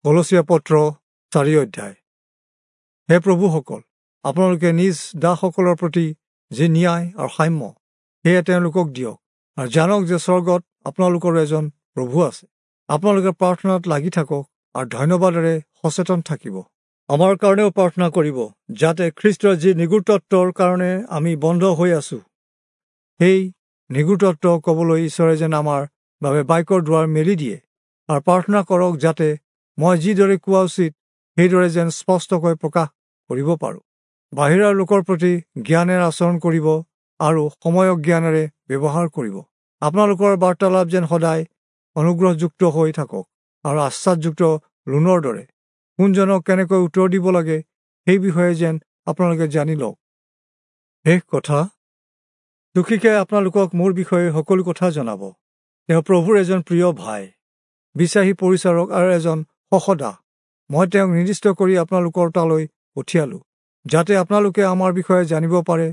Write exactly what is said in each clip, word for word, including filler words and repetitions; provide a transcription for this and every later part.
কলচীয়া পত্ৰ চাৰি অধ্যায়। হে প্ৰভুসকল, আপোনালোকে নিজ দাসসকলৰ প্ৰতি যি ন্যায় আৰু সাম্য সেয়া তেওঁলোকক দিয়ক, আৰু জানক যে স্বৰ্গত আপোনালোকৰো এজন প্ৰভু আছে। আপোনালোকে প্ৰাৰ্থনাত লাগি থাকক আৰু ধন্যবাদেৰে সচেতন থাকিব। আমাৰ কাৰণেও প্ৰাৰ্থনা কৰিব, যাতে খ্ৰীষ্টৰ যি নিগূঢ়তত্ত্বৰ কাৰণে আমি বন্ধ হৈ আছো, সেই নিগূঢ়তত্ত্ব ক'বলৈ ঈশ্বৰে যেন আমাৰ বাবে বাক্যৰ দুৱাৰ মেলি দিয়ে। আৰু প্ৰাৰ্থনা কৰক যাতে মই যিদৰে কোৱা উচিত সেইদৰে যেন স্পষ্টকৈ প্ৰকাশ কৰিব পাৰোঁ। বাহিৰৰ লোকৰ প্ৰতি জ্ঞানেৰে আচৰণ কৰিব আৰু সময়ক জ্ঞানেৰে ব্যৱহাৰ কৰিব। আপোনালোকৰ বাৰ্তালাপ যেন সদায় অনুগ্ৰহযুক্ত হৈ থাকক আৰু আশ্বাসযুক্ত লোনৰ দৰে। কোনজনক কেনেকৈ উত্তৰ দিব লাগে সেই বিষয়ে যেন আপোনালোকে জানি লওক। শেষ কথা, দুখীকে আপোনালোকক মোৰ বিষয়ে সকলো কথা জনাব। তেওঁ প্ৰভুৰ এজন প্ৰিয় ভাই, বিশ্বাসী পৰিচাৰক আৰু এজন সহদাস। মই তেওঁক নিৰ্দিষ্ট কৰি আপোনালোকৰ তালৈ পঠিয়ালোঁ, যাতে আপোনালোকে আমাৰ বিষয়ে জানিব পাৰে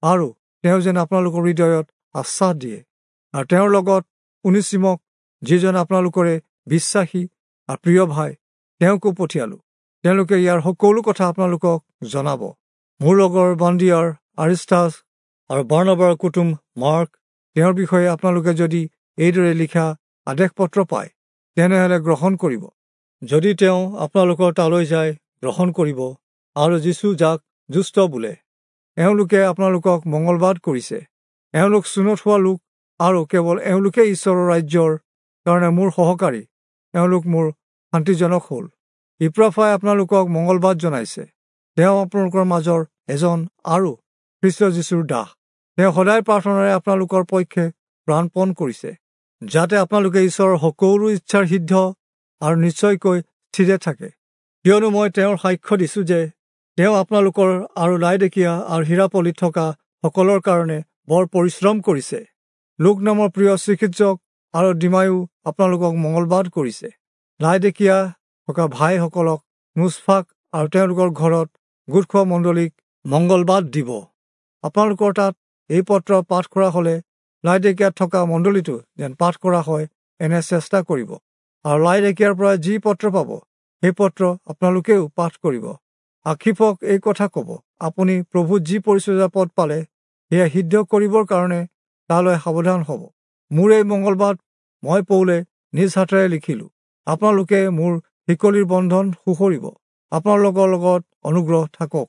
আৰু তেওঁ যেন আপোনালোকৰ হৃদয়ত আশ্বাস দিয়ে। আৰু তেওঁৰ লগত উনীচিমক, যিজন আপোনালোকৰে বিশ্বাসী আৰু প্ৰিয় ভাই, তেওঁকো পঠিয়ালোঁ। তেওঁলোকে ইয়াৰ সকলো কথা আপোনালোকক জনাব। মোৰ লগৰ বন্দিয়াৰ আৰিষ্টাছ আৰু বাৰ্ণবাৰ কুটুম মাৰ্ক, তেওঁৰ বিষয়ে আপোনালোকে যদি এইদৰে লিখা আদেশপত্ৰ পায়, তেনেহ'লে গ্ৰহণ কৰিব। যদি তেওঁ আপোনালোকৰ তালৈ যায়, গ্ৰহণ কৰিব। আৰু যীচু যাক যুষ্ট বোলে, এওঁলোকে আপোনালোকক মংগলবাদ কৰিছে। এওঁলোক চুনত হোৱা লোক আৰু কেৱল এওঁলোকেই ঈশ্বৰৰ ৰাজ্যৰ কাৰণে মোৰ সহকাৰী। এওঁলোক মোৰ শান্তিজনক হ'ল। ইপ্ৰাফাই আপোনালোকক মংগলবাদ জনাইছে। তেওঁ আপোনালোকৰ মাজৰ এজন আৰু খ্ৰীষ্ট যীচুৰ দাস। তেওঁ সদায় প্ৰাৰ্থনাৰে আপোনালোকৰ পক্ষে প্ৰাণপণ কৰিছে, যাতে আপোনালোকে ঈশ্বৰৰ সকলো ইচ্ছাৰ সিদ্ধ আৰু নিশ্চয়কৈ স্থিৰে থাকে। কিয়নো মই তেওঁৰ সাক্ষ্য দিছোঁ যে তেওঁ আপোনালোকৰ আৰু লাইদেকীয়া আৰু হীৰাপলিত থকা সকলৰ কাৰণে বৰ পৰিশ্ৰম কৰিছে। লোক নামৰ প্ৰিয় চিকিৎসক আৰু ডিমায়ো আপোনালোকক মংগলবাদ কৰিছে। লাইদেকীয়া থকা ভাইসকলক নুচফাক আৰু তেওঁলোকৰ ঘৰত গোট খোৱা মণ্ডলীক মংগলবাদ দিব। আপোনালোকৰ তাত এই পত্ৰ পাঠ কৰা হ'লে লাইদেকীয়াত থকা মণ্ডলীটো যেন পাঠ কৰা হয় এনে চেষ্টা কৰিব। আৰু লাইদেকীয়াৰ পৰা যি পত্ৰ পাব সেই পত্ৰ আপোনালোকেও পাঠ কৰিব। আক্ষিপক এই কথা ক'ব, আপুনি প্ৰভুত যি পৰিচৰ্যা পদ পালে সেয়া সিদ্ধ কৰিবৰ কাৰণে তালৈ সাৱধান হ'ব। মোৰ এই মংগলবাদ মই পৌলে নিজ হাতেৰে লিখিলোঁ। আপোনালোকে মোৰ শিকলিৰ বন্ধন সুঁৱৰিব। আপোনালোকৰ লগত অনুগ্ৰহ থাকক।